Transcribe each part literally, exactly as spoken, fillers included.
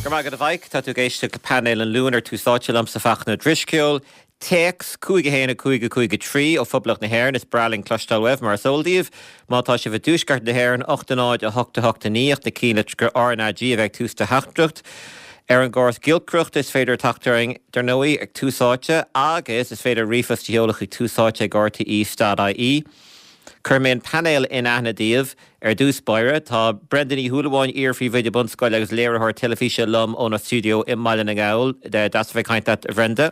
Go maith a bhaid tá tú ag éisteacht le painéal an Luain ar Tús Áite liomsa Fachtna Ó Drisceoil. Téacs cúig a haon a cúig a cúig a trí ó Phoblacht na hÉireann is breá linn cloisteáil uaibh mar is eol daoibh. Má tá sibh i dtuaisceart na hÉireann ocht a náid a hocht a hocht a naoi na cinn R na G a bheith tús do theachtaireacht. Ar an gcóras giolcaireachta is féidir teacht orainn dar ndóigh ag Tús Áite agus is féidir ríomhphost a sheoladh chuig tús áite ag RTE dot IE. Cuirfidh mé an painéal in aithne daoibh ar dtús báire tá Brenda Ní Shúilleabháin iar-phríomhoide bunscoile agus léiritheoir teilifíse liom óna stiúideo i mBaile na nGall deas a bheith ag caint leat a Bhrenda.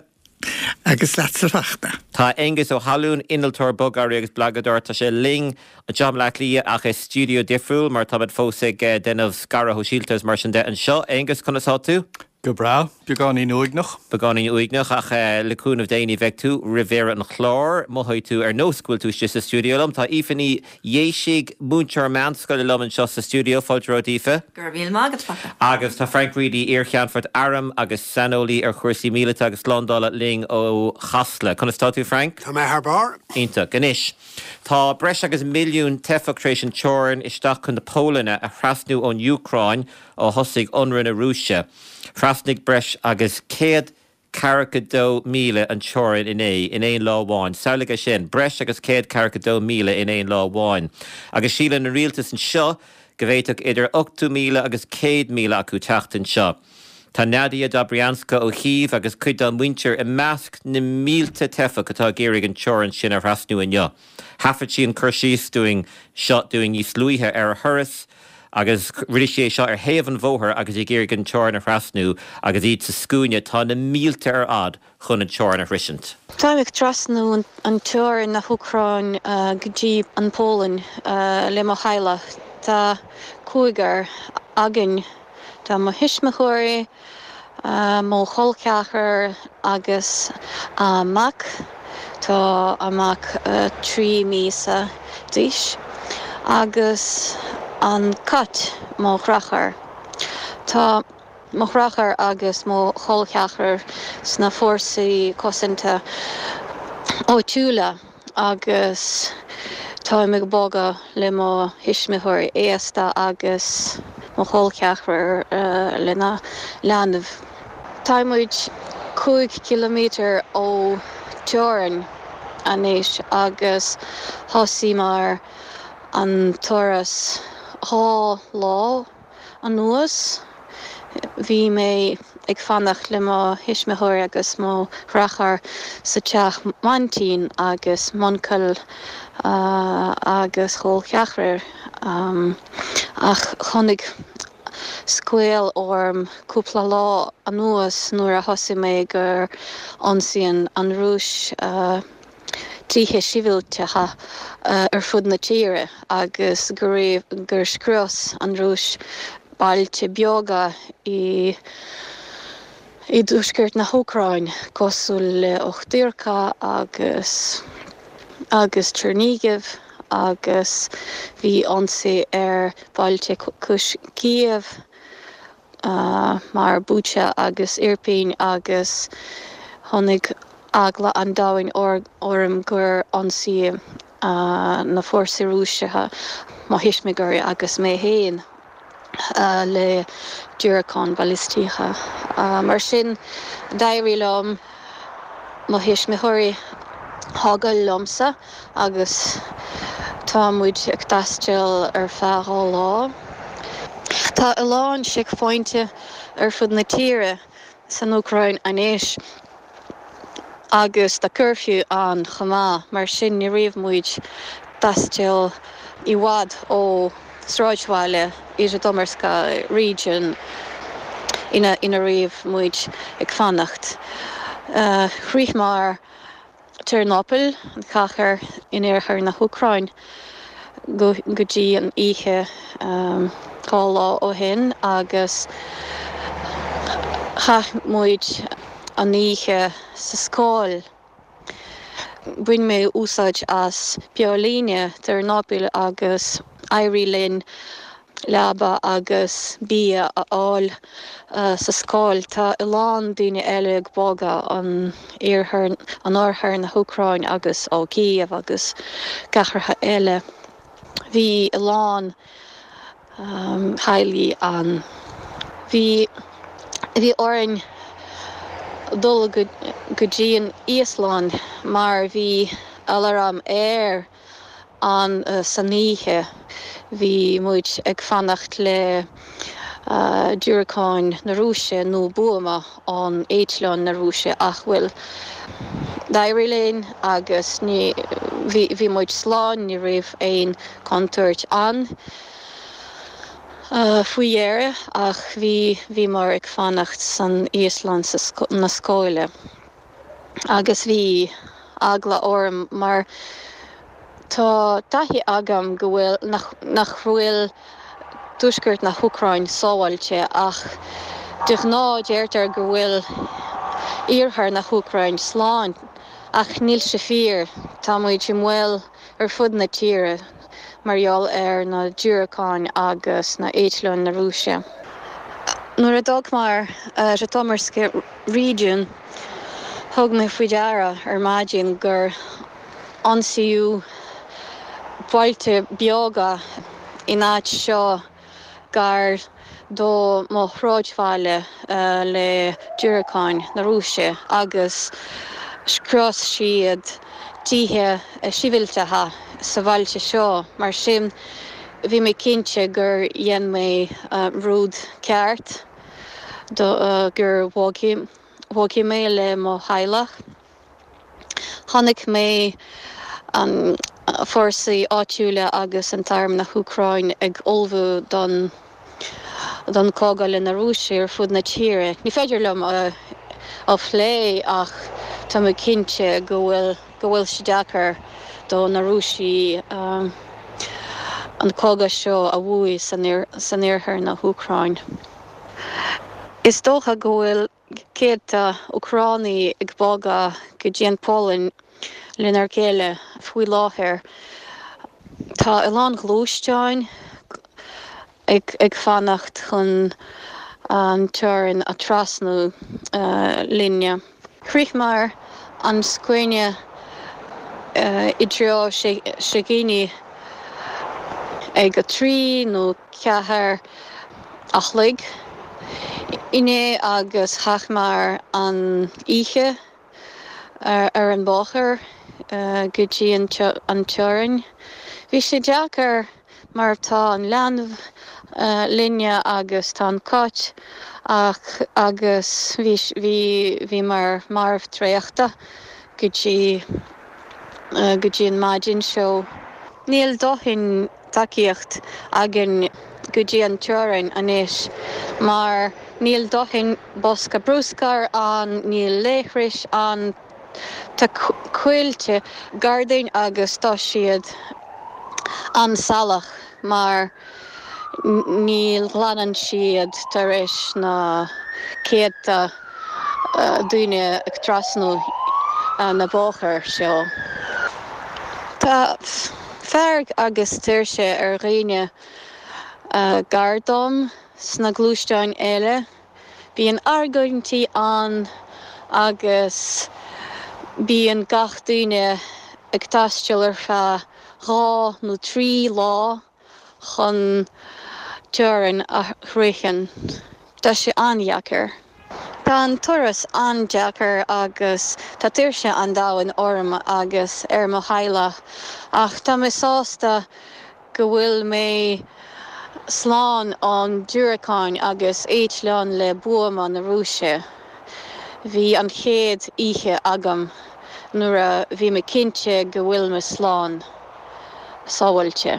Agus leatsa a Fhachtna. Tá Aengus Ó hAlún innealtóir bogearraí agus blagadóir tá sé linn anseo i mBaile Átha Cliath ach i stiúideo difriúil mar táimid fós ag déanamh scaradh sóisialta mar sin de anseo. Aengus conas tá tú? Go breá, beagáinín uaigneach. Beagáinín uaigneach ach le cúnamh Dé ní bheidh tú roimh dheireadh an chláir mothóidh tú ar nós go bhfuil tú istigh sa stiúideo liom. Tá Aoife Ní Dhéisigh múinteoir meánscoile liom anseo sa stiúideo fáilte romhat Aoife. Go raibh míle maith agat Fachtna. Agus tá Frank Reidy iar-cheannfort airm agus saineolaí ar chúrsaí míleata agus slándála linn ó Chasla. Conas tá tú Frank? Tá mé thar barr. Iontach anois. Tá breis agus milliún teifeach tar éis an teorainn isteach chun na Polainne a thrasnú ón Úcráin ó thosaigh ionradh na Rúise. Thrasnaigh breis agus céad ceathracha dó míle an teorainn inné in aon lá amháin. Samhlaigh sin breis agus céad ceathracha dó míle in aon lá amháin. Agus síleann an rialtas anseo go bhféadfadh idir ochtó míle agus céad míle acu teacht anseo. Tá Nadia Dobrianska ó Chív agus cuid dá muintir i measc na mílte teifeach atá ag iarraidh an teorainn sin a thrasnú inniu. Thaifead sí an cur síos dúinn seo dúinn níos luaithe ar a thuras, agus rinne sí é seo ar thaobh an bhóthair agus ag iarraidh an teorainn a thrasnú agus iad sa scuaine tá na mílte ar fad chun an teorainn a shroisint. Táim ag trasnú an teorainn na hÚcráin go dtí an Pholainn le mo theaghlach. Tá cúigear againn Tá mo thuismitheoirí, mo chol ceathrar agus a mac. Tá a mac trí míosa d'aois agus an cat mo dheartháir. Tá mo dheartháir agus mo chol ceathrar sna fórsaí cosanta áitiúla agus táim ag bogadh le mo thuismitheoirí aosta agus mo chol ceathrar lena leanbh. Tá muid cúig ciliméadar ó teorainn anois agus thosaíomar an turas dhá lá anuas. Bhí mé ag fanacht le mo thuismitheoirí agus mo dheartháir sa teach m'aintín agus m'uncail agus chol ceathrar ach tháinig scaoll orm cúpla lá anuas nuair a thosaigh mé gur ionsaíonn an Rúis tithe sibhialtacha ar fud na tíre agus go raibh gur scrios an Rúis bailte beaga i i dtuaisceart na hÚcráin cosúil le Okhtyrka agus agus Chernihiv agus bhí ionsaí ar bhailte cois Kiev mar Bucha agus Irpin agus tháinig eagla an domhain orm gur ionsaí na fórsaí Rúiseacha mo thuismitheoirí agus mé féin le diúracáin bhalaistíocha. Mar sin d'éirigh liom mo thuismitheoirí a fhágáil liomsa agus tá muid ag taisteal ar feadh dhá lá. Tá a lán seicphointe ar fud na tíre san Úcráin anois agus tá curfew ann chomh maith, mar sin ní raibh muid taisteal i bhfad ó sráidbhaile i Zhytomyrsky region ina ina raibh muid ag fanacht. Shroicheamar Ternopil, an chathair in iarthar na hÚcráin, go go dtí an oíche dhá lá ó shin agus chaith muid an oíche sa scoil. Bhain mé úsáid as Beolíne Ternopil agus d'éirigh linn leaba agus bia a fháil sa scoil. Tá a lán daoine eile ag bogadh an iarthar an oirthear na hÚcráin agus ó Kiev agus cathracha eile. Bhí a lán teaghlaigh ann. Bhí Bhí orainn dul go dtí an íoslann mar bhí aláram aeir ann san oíche. Bhí muid ag fanacht le diúracáin na Rúise nó buama ón eitleán na Rúise ach bhuel d'éirigh linn agus ní bhí muid slán ní raibh aon contúirt ann faoi dheireadh ach bhí bhíomar ag fanacht san íoslann na scoile agus bhí eagla orm mar tá taithí agam go bhfuil nach bhfuil tuaisceart na hÚcráin sábháilte ach de ghnáth deirtear go bhfuil iarthar na hÚcráin slán ach níl sé fíor tá muid i mbaol ar fud na tíre mar gheall ar na diúracáin agus na eitleáin na Rúise. Nuair a d'fhágamar Zhytomyrsky region thug mé faoi deara ar maidin gur ionsaíodh bailte beaga in áit seo gar do mo shráidbhaile le diúracáin na Rúise agus scrios siad tithe sibhialtacha sa bhailte seo mar sin bhí mé cinnte gur dhein mé rud ceart do gur bhog mé le mo theaghlach. Chonaic mé an fórsaí áitiúla agus an t-arm na hÚcráin ag ullmhú don don cogadh le na Rúise ar fud na tíre. Ní féidir liom a a phlé ach tá mé cinnte go bhfuil go bhfuil sé deacair do na Rúisigh an cogadh seo a bhuaigh san san iarthar na hÚcráin. Is dócha go bhfuil céadta Úcránaigh ag bogadh go dtí an Pholainn lenár chéile faoi láthair. Tá a lán gluaisteáin ag ag fanacht chun an teorainn a trasnú linne. Shroicheamar an scuaine i dtreo sé dhaoine ag a trí nó ceathair a chlog inné agus chaitheamar an oíche ar an bóthar go dtí an teorainn. Bhí sé deacair mar tá an leanbh linne agus tá an cat ach agus bhí bhí bhíomar marbh traochta go dtí go dtí an maidin seo. Níl dóthain tacaíocht againn go dtí an teorainn anois mar níl dóthain bosca bruscair ann, níl leithris ann Tá coillte gar dúinn agus tá siad an-salach mar ní ghlanann siad tar éis na céadta daoine ag trasnú na bóthar seo. Tá fearg agus tuirse ar dhaoine gar dom sna gluaisteáin eile. Bíonn argóintí ann agus bíonn gach duine ag taisteal ar feadh dhá nó trí lá chun teorainn a shroicheadh. Tá sé an-deacair. Tá an turas an-deacair agus tá tuirse an domhain orm agus ar mo theaghlach ach tá mé sásta go bhfuil mé slán ón diúracáin agus eitleán le buama na Rúise. Bhí an chéad oíche agam nuair a bhí mé cinnte go bhfuil mé slán sábháilte.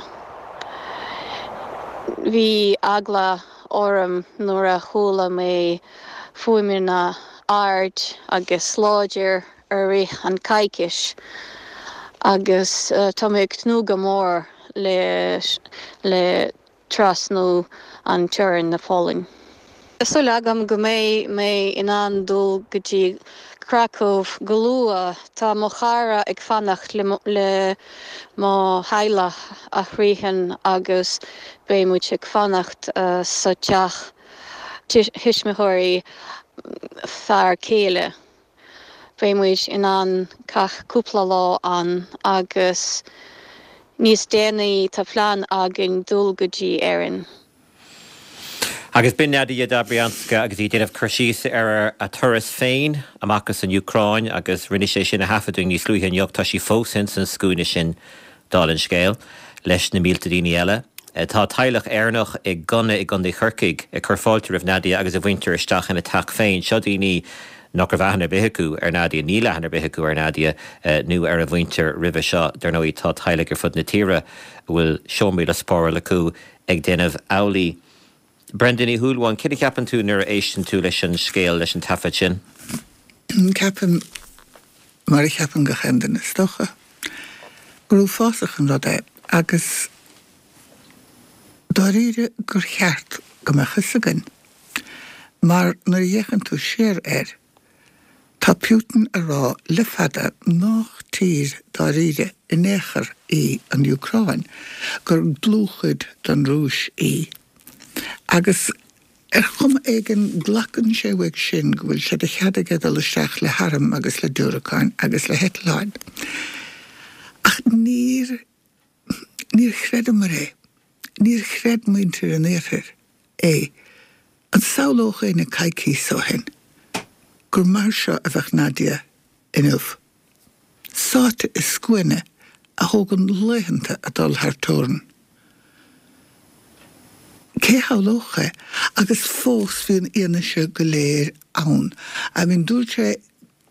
Bhí eagla orm nuair a chuala mé fuaimeanna ard agus láidir ar rith an coicís agus tá mé ag tnúth go mór le le trasnú an teorainn na Polainn. Tá súil agam go mbeidh mé in ann dul go dtí Kraków go luath tá mo chara ag fanacht le le mo theaghlach a shroicheadh agus beidh muid ag fanacht sa teach tuismitheoirí fear céile. Beidh muid in ann caith cúpla lá ann agus níos déanaí tá plean againn dul go dtí Éirinn. Agus b'in Nadia Dobrianska agus í ag déanamh cur síos ar a turas féin amach as an Úcráin agus rinne sé sin a thaifeadadh níos luaithe inniu tá sí fós in san scuaine sin dála an scéil leis na mílte daoine eile. Tá teaghlach Éireannach i gConna i gContae Chorcaí ag cur fáilte roimh Nadia agus a mhuintir isteach ina teach féin. Seo daoine nach raibh aithne ar bith acu ar Nadia níl aithne ar bith acu ar Nadia nó ar a mhuintir roimhe seo dar ndóigh tá teaghlaigh ar fud na tíre a bhfuil seomraí le spáráil acu ag déanamh amhlaidh. Brenda Ní Shúilleabháin, cad a cheapann tú nuair a éisteann tú leis an scéal leis an taifead sin? Ceapaim mar a cheapann gach aon duine is dócha. Gur uafásach an rud é agus dáiríre gur cheart go mbeadh fhios againn. Mar nuair a fhéachann tú siar air, tá Putin ag rá le fada nach tír dáiríre in aon chor í an Úcráin, gur dlúthchuid den Rúis í. Agus ar chuma éigin glacann sé uaidh sin go bhfuil sé de chead aige dul isteach le hairm agus le diúracáin agus le heitleáin. Ach níor níor chreideamar é. Níor chreid muintir an Iarthair é. An samhlódh éinne coicíos ó shin gur mar seo a bheadh Nadia inniu. Sáite i scuaine a thógann laethanta a dul thar teorainn. Cé shamhlódh é? Agus fós bhí an fhianaise go léir ann. I mean, dúirt sé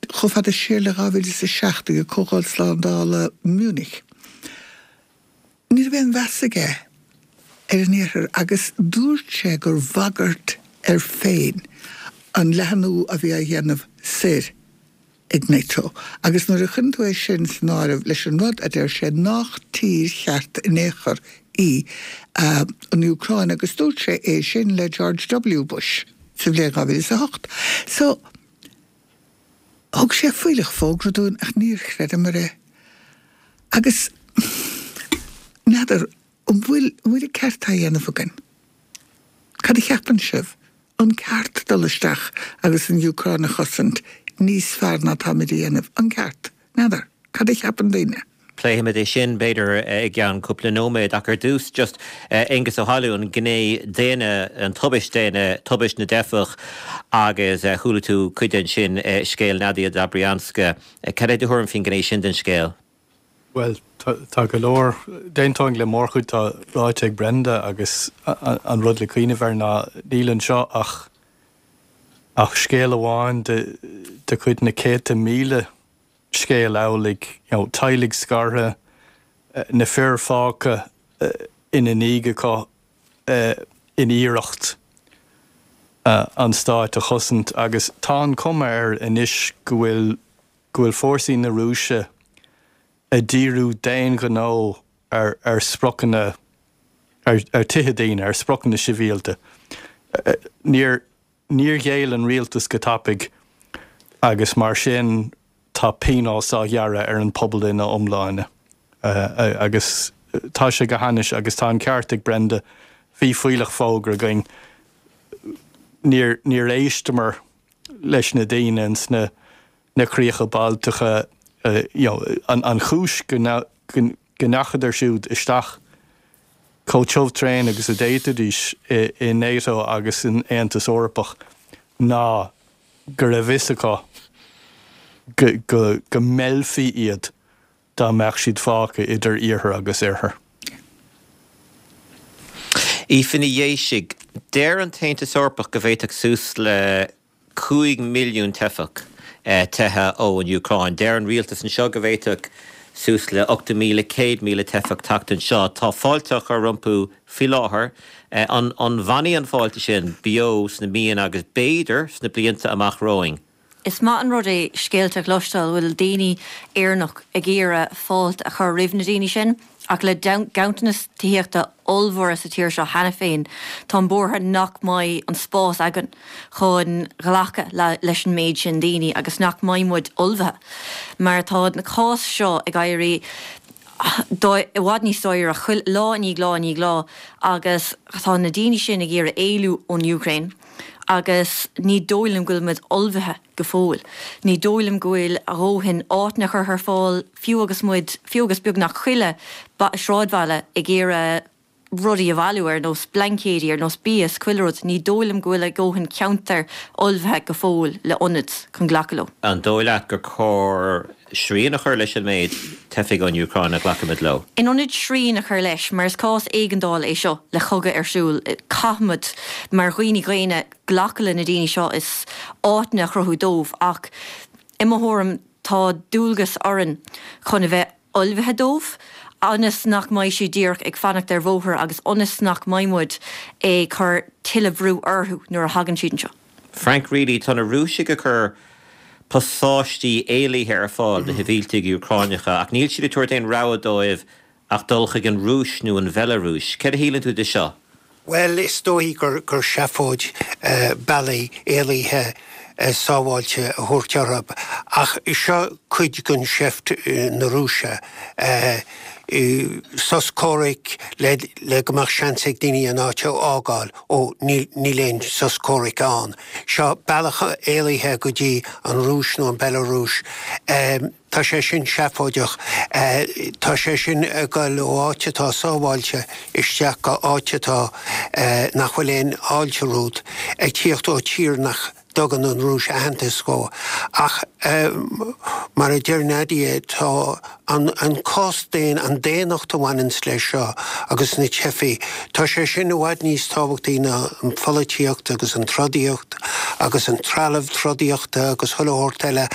chomh fada siar le dhá mhíle is a seacht ag Comhdháil Slándála Munich. Ní raibh aon mheas aige ar an Iarthar agus dúirt sé gur bhagairt air féin an leathnú a bhí á dhéanamh soir ag NATO. Agus nuair a chuireann tú é sin san áireamh leis an rud a deir sé nach tír cheart in aon chor í an Úcráin agus dúirt sé é sin le George W. Bush sa bhliain dhá mhíle is a hocht. So, thug sé fuílleach fógra dúinn ach níor chreideamar é. Agus n'fheadar an bhfuil an bhfuil an ceart á dhéanamh againn? Cad a cheapann sibh? An ceart dul isteach agus an Úcráin a chosaint níos fearr ná táimid a dhéanamh? An ceart? N'fheadar. Cad a cheapann daoine? Pléifimid é sin, b'fhéidir, i gceann cúpla nóiméad, ach ar dtús, just Aengus Ó hAlmhain, an ghné daonna, an tubaist daonna, tubaist na dteifeach agus chuala tú cuid de ansin, scéal Nadia Dobrianska. Cad é do thuairim faoin ghné sin den scéal? Bhuel, tá go leor, d'aontóinn le mórchuid atá ráite ag Brenda agus an rud le cuimhneamh air ná níl anseo ach ach scéal amháin de de chuid na céadta míle scéal amhlaidh, you know, teaghlaigh scartha, na fir fágtha ina ndiaidh acu in iarracht an stáit a chosaint agus tá an cuma air anois go bhfuil go bhfuil fórsaí na Rúise ag díriú d'aon ghnó ar ar spriocanna ar ar tithe daoine, ar spriocanna sibhialta. Níor níor ghéill an rialtas go tapaidh agus mar sin tá pionós á ghearradh ar an pobal ina iomláine. Agus tá sé go hainnis agus tá an ceart ag Brenda, bhí fuílleach fógra againn, níor níor éisteamar leis na daoine ins na na críocha Baltacha, you know, an an chúis go go ndeachadar siúd isteach chomh tiubh tréan agus a d'fhéadfaidís i i NATO agus san Aontas Eorpach ná go raibh fhios acu go go go meillfí iad dá mbeadh siad fágtha idir iarthar agus oirthear. Aoife Ní Dhéisigh, Deir an tAontas Eorpach go bhféadfadh suas le cúig milliún teifeach teitheadh ón Úcráin. Deir an rialtas anseo go bhféadfadh suas le ochtó míle, céad míle teifeach teacht anseo. Tá fáilte á chur rompu faoi láthair. An bhfanfaidh an fáilte sin beo sna míonna agus b'fhéidir sna blianta amach romhainn? Is maith an rud é scéalta a chloisteáil bhfuil daoine Éireannach ag iarraidh fáilte a chur roimh na daoine sin, ach le ganntanas tithíochta ollmhóra sa tír seo cheana féin, táim buartha nach mbeidh an spás againn chun ghlacadh leis an méid sin daoine agus nach mbeidh muid ullmhaithe. Mar tá na cás seo ag éirí i bhfad níos dáiríre chuile lá i ndiaidh lá i ndiaidh lá agus tá na daoine sin ag iarraidh éalú ón Úcráin. agus ní dóigh liom go bhfuil muid ullmhaithe go fóill. Ní dóigh liom go bhfuil a dhóthain áiteanna curtha ar fáil, fiú agus muid, fiú agus beagnach chuile sráidbhaile ag iarraidh rudaí a bhailiú ar nós blaincéidí ar nós bia is chuile rud, ní dóigh liom go bhfuil a ndóthain ceantar ullmhaithe go fóill le ionaid chun glacadh leo. An dóigh leat gur cóir srian a chur leis an méid teifigh ón Úcráin a ghlacaimid leo? In ionad srian a chur leis, mar is cás éigeandála é seo le cogadh ar siúl, caithfimid mar dhaoine daonna glacadh le na daoine seo is áiteanna a chruthú dóibh ach i mo thuairim tá dualgas orainn chun a bheith ullmhaithe dóibh, ionas nach mbeidh siad díreach ag fanacht ar bhóthar agus ionas nach mbeidh muid ag cur tuilleadh brú orthu nuair a thagann siad anseo. Frank Greally, tá na Rúisigh ag cur pasáistí éalaithe ar fáil do shibhialtaigh Úcránacha ach níl siad ag tabhairt aon rogha dóibh ach dul chuig an Rúis nó an Bhealarúis. Céard a shíleann tú de seo? Bhuel, is dóigh gur gur seafóid bealaí éalaithe sábháilte a thabhairt orthu, ach seo cuid den seift na Rúise. Sos comhraic le le go mbeadh seans ag daoine an áit a fhágáil. Ó, níl níl aon sos comhraic ann. Seo bealach éalaithe go dtí an Rúis nó an Bhealarúis. Tá sé sin seafóideach. Tá sé sin ag dul ó áit atá sábháilte isteach go áit atá nach bhfuil aon fháilte romhat, ag tíocht ó tír nach dtugann an Rúis aitheantas dhó. Ach mar a deir Nadia, tá an an cás daonna, an daonnacht a bhaineanns leis seo agus na teifigh, tá sé sin i bhfad níos tábhachtaí ná an pholaitíocht agus an trodaíocht agus an trealamh trodaíochta agus chuile shórt eile.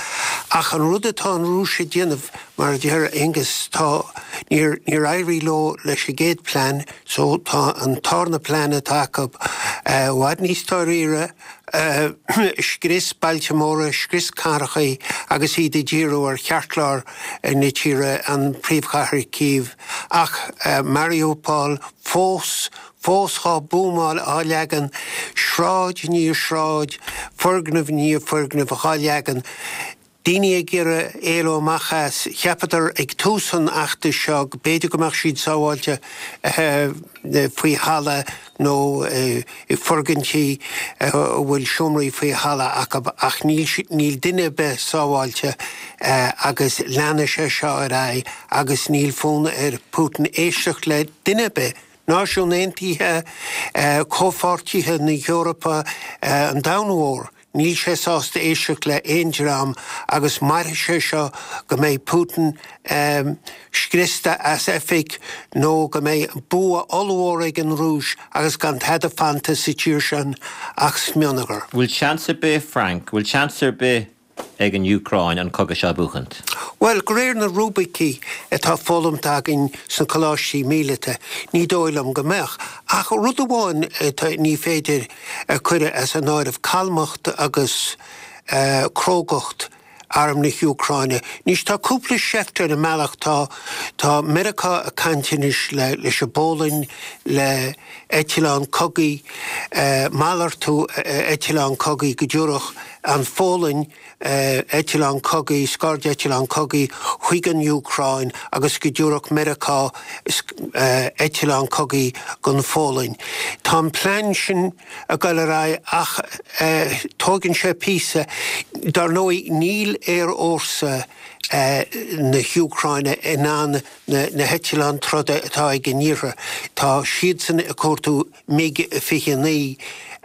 Ach an rud atá an Rúis ag déanamh, mar a deir Aengus, tá, níor níor éirigh leo leis an gcéad plean, so tá an tarna plean atá acu i bhfad níos dáiríre, scrios bailte móra, scrios cathracha agus iad ag díriú ar cheartlár na tíre, an príomhchathair Kyiv. Ach Mariupol fós, fós dhá buamáil á leagan, sráid i ndiaidh sráid, foirgneamh i ndiaidh foirgnimh dhá leagan. Daoine ag iarraidh éalú amach as. Cheapadar ag tús an fheachtais seo go b'fhéidir go mbeadh siad sábháilte faoi thalamh nó i bhfoirgintí a bhfuil seomraí faoi thalamh acu ach níl níl duine ar bith sábháilte agus leanfaidh sé seo ar aghaidh agus níl fonn ar Putin éisteacht le duine ar bith, Náisiúin Aontaithe, comhpháirtithe na hEorpa, an domhan mhór. Níl sé sásta éisteacht le haon dream agus mairfidh sé seo go mbeidh Putin scriosta as oifig nó go mbeidh bua ollmhór ag an Rúis agus gan tada fanta sa tír sin ach smionagar. Bhfuil seans ar bith, Frank, bhfuil seans ar bith ag an Úcráin an cogadh seo a bhuachaint? Bhuel, de réir na rúibicí atá foghlamtha againn sna coláistí míleata, ní dóigh liom go mbeadh. Ach rud amháin atá ní féidir a chur as an áireamh, calmacht agus crógacht Arm na hÚcráine. Anois tá cúpla seift ar an mbealach, tá tá Meiriceá ag caint anois le leis an bPólainn, le eitleán cogaidh, malartú eitleán cogaidh go dtabharfadh an Phólainn eitleán cogaidh, scairdeitleán cogaidh chuig an Úcráin agus go dtabharfadh Meiriceá eitleán cogaidh don Phólainn. Tá an plean sin ag dul ar aghaidh ach tógann sé píosa. Dar ndóigh níl aerfhórsa na hÚcráine in ann na heitleáin troda atá ag an Iarthar. Tá siadsan ag cuartú MiG fiche a naoi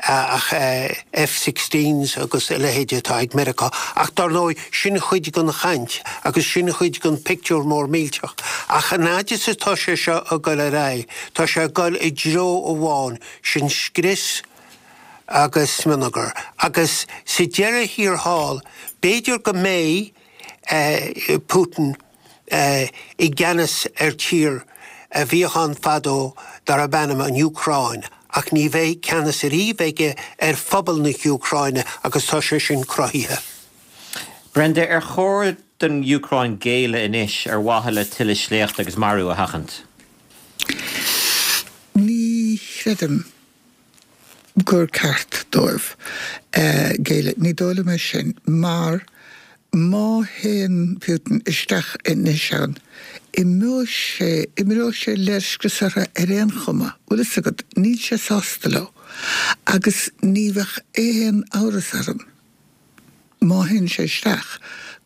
ach F sixteens agus a leithéid atá ag Meiriceá. Ach dar ndóigh, sin chuid den chaint agus sin chuid den pictiúr mór millteach. Ach an fhaid is atá sé seo ag dul ar aghaidh, tá sé ag dul i dtreo amháin, sin scrios agus smionagar. Agus sa deireadh thiar thall, b'fhéidir go mbeidh Putin i gceannas ar tír a bhíodh ann fadó darb ainm an Úcráin, ach ní bheidh ceannas ariamh aige ar phobal na hÚcráine agus tá sé sin cruthaithe. Brenda, ar chóir don Úcráin géilleadh anois ar mhaithe le tuilleadh sléachta agus marú a sheachaint? Ní chreidim gur ceart dóibh géilleadh. Ní dóigh liom é sin mar má théann Putin isteach anois ann, imeoidh sé, imreoidh sé léirscrios orthu ar aon chuma, bhfuil fhios agat, níl sé sásta leo. Agus ní bheadh aon amhras orm, má théann sé isteach,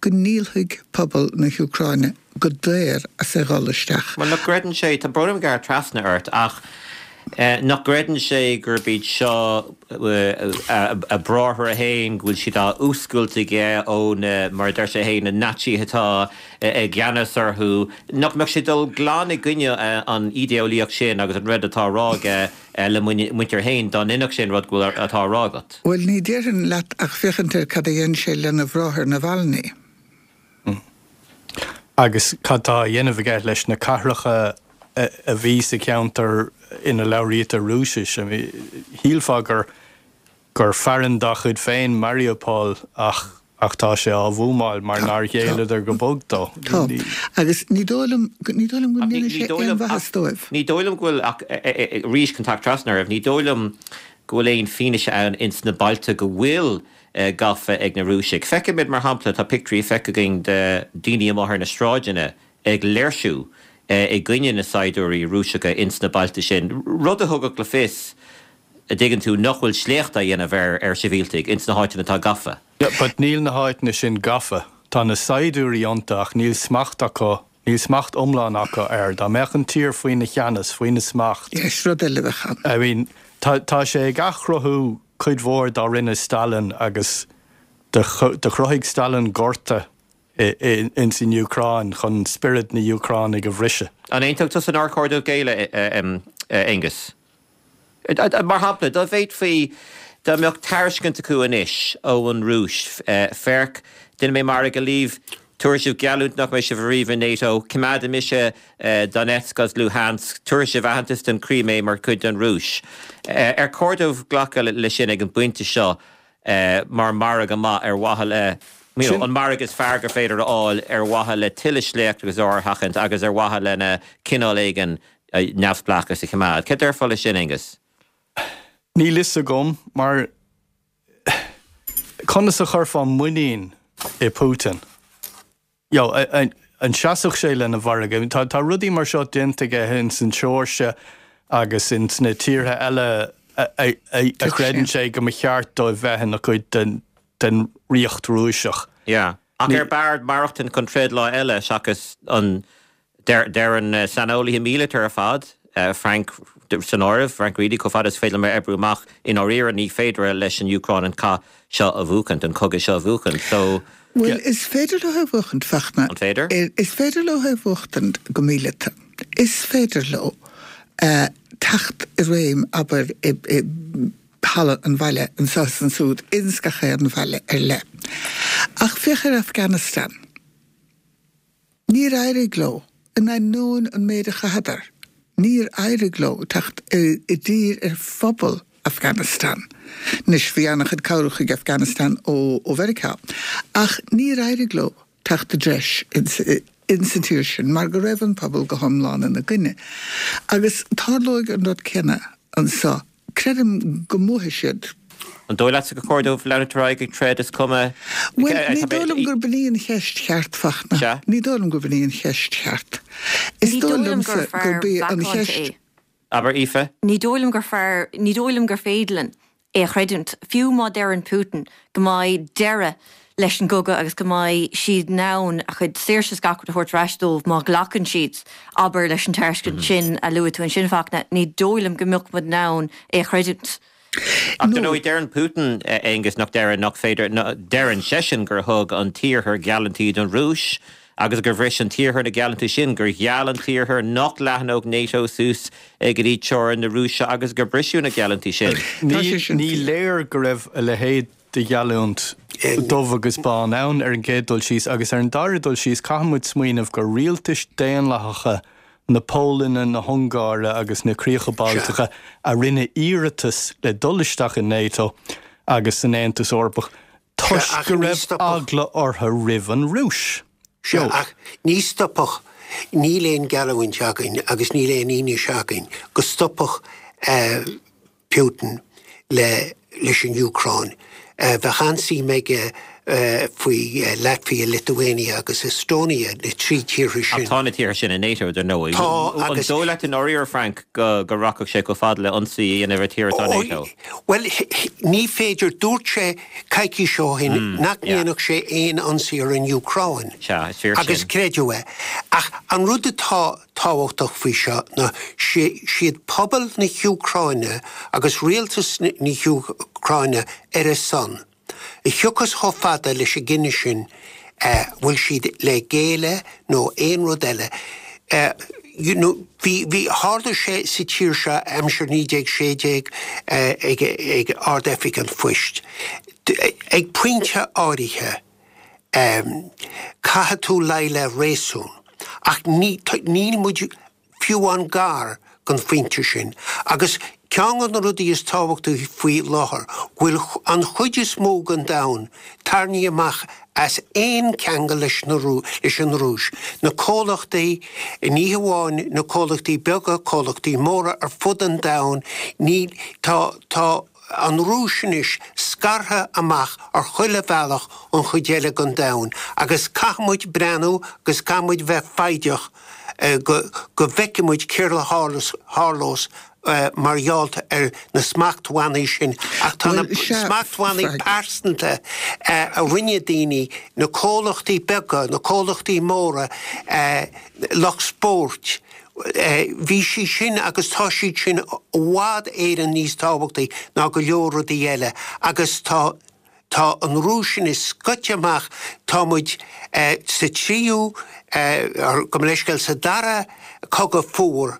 go ndíolfaidh pobal na hÚcráine go daor as a dhul isteach. Bhuel, nach gcreideann sé, tá brón orm gearradh trasna ort, ach nach gcreideann sé gurb iad seo a bhráithre féin, go bhfuil siad á fhuascailt aige ó na, mar a deir sé féin, na Naitsithe atá i gceannas orthu, nach mbeadh sé ag dul glan i gcoinne an ídéolaíocht sin agus an rud atá á rá aige le muintir féin, dá ndéanfadh sé an rud go bhfuil atá á rá agat? Bhuel, ní déarfainn leat ach féachaint ar cad a dhein sé lena bhráthair Navalny. Agus cad tá á dhéanamh aige leis na cathracha a bhí sa cheantar ina labhraítear Rúisis? Shílfeá gur gur fearann dá chuid féin Mariupol ach ach tá sé á bhuamáil mar nár ghéilleadar go bog dó. Tá. Agus ní dóigh liom ní dóigh liom go ndéanfaidh sé aon mhaitheas dóibh. Ní dóigh liom go bhfuil ach arís chun teacht trasna oraibh, ní dóigh liom go bhfuil aon fianaise ann ins na bailte go bhfuil gafa ag na Rúisigh. Feicimid, mar shampla, tá pictiúirí feicthe againn de daoine amuigh ar na sráideanna ag léirsiú i gcoinne na saighdiúirí Rúiseacha ins na bailte sin, rud a thugadh le fios, a dtuigeann tú, nach bhfuil sléacht á dhéanamh ar ar shibhialtaigh ins na háiteanna atá gafa. Yeah, but níl na háiteanna sin gafa. Tá na saighdiúirí iontu ach níl smacht acu, níl smacht iomlán acu air. Dá mbeadh an tír faoina cheannas, faoina smacht. Yes, rud eile a bheadh ann. I mean, tá tá sé ag athchruthú cuid mhór dá rinne Stalin agus do chruthaigh Stalin gorta ins an Úcráin chun spiorad na Úcránaigh a bhriseadh. An aontódh tusa nár chóir dóibh géilleadh, Aengus? Mar shampla, dá bhféadfaí, dá mbeadh tairiscint acu anois ón Rúis, féach, déanfaidh mé margadh libh, tabharfaidh sibh geallúint nach mbeidh sibh ariamh in NATO, coimeádfaidh mise Donetsk agus Luhansk, tabharfaidh sibh aitheantas don Chrímé mar chuid den Rúis. Ar chóir dóibh glacadh leis sin ag an bpointe seo mar mhargadh maith ar mhaithe le, you know, an margadh is fearr gur féidir a fháil ar mhaithe le tuilleadh sléacht agus ár a sheachaint agus ar mhaithe lena cineál éigin neamhspleáchas a choimeád. Cad déarfá leis sin, Aengus? Níl fhios agam, mar conas a chuirfeá muinín i Putin? You know, an seasfadh sé lena mhargadh? Tá tá rudaí mar seo déanta aige ins an tSeoirsia agus ins na tíortha eile a a a chreideann sé go mba cheart dóibh bheith ina cuid den den Ríocht Rúiseach. Yeah. Ach ar b'fhearr maireachtaint chun troid lá eile seachas an Deireann saineolaithe míleata ar fad, Frank san áireamh, Frank Reidy, chomh fada is féidir liom a oibriú amach, i ndáiríre ní féidir leis an Úcráin an cath seo a bhuachaint, an cogadh seo a bhuachaint. So. Bhuel, is féidir leo é a bhuachaint, Fachtna. An féidir? Is féidir leo é a bhuachtaint go míleata. Is féidir leo teacht i réim, abair, i halla an bhaile anseo is ansúd, ins gach aon bhaile ar leith. Ach féach ar Afghanistan. Níor éirigh leo, in ainneoin an méid a chaitheadar, níor éirigh leo teacht i dtír ar phobal Afghanistan. Anois, bhí an-chuid cabhrach chuig Afghanistan ó Mheiriceá, ach níor éirigh leo teacht i dtreis ins an tír sin mar go raibh an pobal go hiomlán ina gcoinne. Agus tarlóidh an rud céanna anseo. Creidim go mbuafaidh siad. An dóigh leatsa gur chóir dóibh leanúint ar aghaidh ag troid, is cuma? Bhuel, ní dóigh liom gurb in í an cheist cheart, Fachtna. Sea. Ní dóigh liom gurb in í an cheist cheart. Is Ní dóigh dóigh liom liomsa gur fear gurb í an macánta cheist. é. Abair, Aoife. Ní dóigh liom gur fear, ní dóigh liom gur féidir linn é a chreidiúint, fiú má deireann Putin go mbeidh deireadh leis an gcogadh agus go mbeidh siad in ann a chuid saoirse is gach rud a thabhairt ar ais dóibh má ghlacann siad, abair, leis an tairiscint sin a luaigh tú ansin, Fachtna, ní dóigh liom go mbeadh muid in ann é a chreidiúint. Ach dar ndóigh, deireann Putin, a Aonghus, nach deireann, nach féidir, deireann seisean gur thug an tIarthar geallúintí don Rúis agus gur bhris an tIarthar na geallúintí sin, gur gheall an tIarthar nach leathnódh NATO suas go dtí teorainn na Rúise agus gur briseadh na geallúintí sin. Tá sé sin Ní fíor. léir go raibh a leithéid de gheallúint dubh agus bán ann ar an gcéad dul síos agus ar an dara dul síos caithfidh muid smaoineamh gur rialtais daonlathacha na Polainne, na hUngáire agus na Críocha Baltacha a rinne iarratas le dul isteach in NATO agus san Aontas Eorpach toisc go raibh eagla orthu roimh an Rúis. Sea, ach ní stopfadh, níl aon gheallúint againn agus níl aon fhianaise againn go stopfadh Putin le leis an Úcráin. Bheadh an-suim aige faoi Latvia, Lithuania agus Estonia, na trí tíortha sin. Ach tá na tíortha sin i NATO, dar ndóigh. Tá, agus. An dóigh leat i ndáiríre, Frank, go rachadh sé chomh fada le ionsaí a dhéanamh ar tír atá i NATO? Bhuel, ní féidir, dúirt sé coicís ó shin nach ndéanfadh sé aon ionsaí ar an Úcráin. Sea, is fíor sin. Agus creideadh é. Ach an rud atá tábhachtach faoi seo ná siad pobal na hÚcráine agus rialtas na hÚcráine ar a son. a thiocfas chomh fada leis an gcinneadh sin, bhfuil siad le géilleadh nó aon rud eile. You know, bhí, bhí, tharla sé sa tír seo aimsir naoi déag sé déag ag, ag Ard-Oifig an Phoist. Ag pointe áirithe, caithfidh tú luí le réasún. Ach ní, níl muid fiú amháin gar don phointe sin. Agus ceann de na rudaí is tábhachtaí faoi láthair, go bhfuil an chuid is mó den domhan tarraingthe amach as aon cheangal leis leis an Rúis. Na comhlachtaí, ní hamháin na comhlachtaí beaga, comhlachtaí móra ar fud an domhain, ní, tá, tá an Rúis anois scartha amach ar chuile bhealach ón chuid eile den domhan agus caithfidh muid breathnú agus caithfidh muid bheith foighdeach go bhfeicfidh muid céard a tharlós mar gheall ar na smachtbhannaí sin. Ach tá na smachtbhannaí pearsanta a rinne daoine, na comhlachtaí beaga, na comhlachtaí móra, lucht spóirt, bhí siad sin agus tá siad sin i bhfad Éireann níos tábhachtaí ná go leor rudaí eile agus tá tá an Rúis anois scoite amach, tá muid sa tríú, gabh mo leithscéal, sa dara cogadh fuar,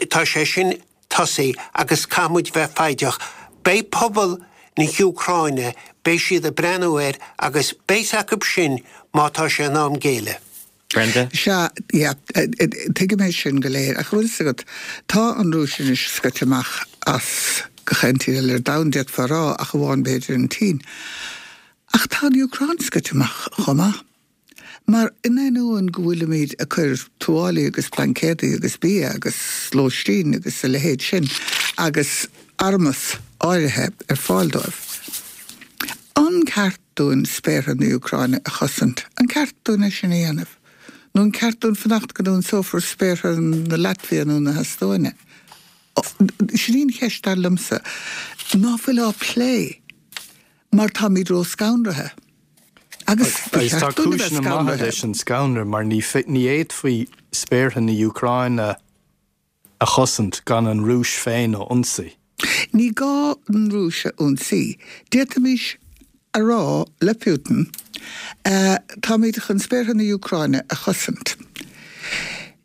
tá sé sin tosaithe agus caithfidh muid bheith foighdeach. Beidh pobal na hÚcráine, beidh siad ag breathnú air agus beidh acu sin má tá sé in am géilleadh. Brenda? Sea, yeah, tuigim é sin go léir, ach bhfuil fhios agat, tá an Rúis anois scoite amach as gach aon tír eile ar domhan, d'fhéadfá a rá, ach amháin b'fhéidir an tSín. Ach tá an Úcráin scoite amach chomh maith. Mar in ainneoin go bhfuilimid ag cur tuáillí agus plaincéadaí agus bia agus lóistín agus a leithéid sin agus armas áirithe ar fáil dóibh, an ceart dúinn spéartha na hÚcráine a chosaint? An ceart dúinn é sin a dhéanamh? Nó an ceart dúinn fanacht go n-ionsófar spéartha na Laitvia nó na hEastóine? Sin í an cheist, dar liomsa, ná fuil á plé mar táimid ró-scanraithe. Agus ba Agus tá cheart dúinn a bheith cúiseanna maithe scanraithe. leis an scanradh mar ní fhéadfaí spéartha na hÚcráine a chosaint gan an Rúis féin a ionsaí. Ní gá an Rúis a ionsaí. D'fhéadfaimis a rá le Putin, táimid chun spéartha na hÚcráine a chosaint.